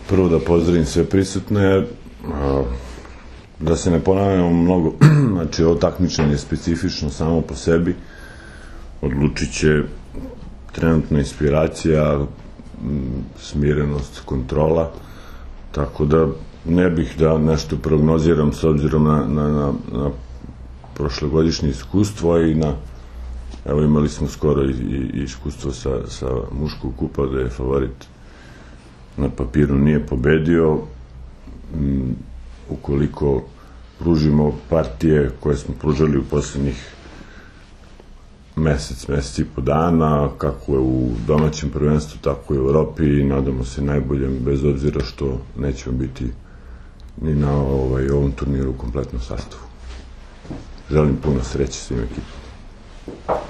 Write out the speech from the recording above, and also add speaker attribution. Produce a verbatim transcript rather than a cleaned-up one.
Speaker 1: prvo da pozdravim sve prisutne, da se ne ponavljamo mnogo, znači ovo takmičenje je specifično samo po sebi, odlučit će trenutna inspiracija, smirenost, kontrola, tako da ne bih da nešto prognoziram s obzirom na prošlogodišnje iskustvo i na, evo imali smo skoro i iskustvo sa muškog kupa da je favorit na papiru nije pobedio. Ukoliko pružimo partije koje smo pružali u poslednjih mesec, mesec i po dana, kako je u domaćem prvenstvu, tako i u Evropi, i nadamo se najboljem, bez obzira što nećemo biti ni na ovom turniru u kompletnom sastavu. Želim puno sreće svim ekipama.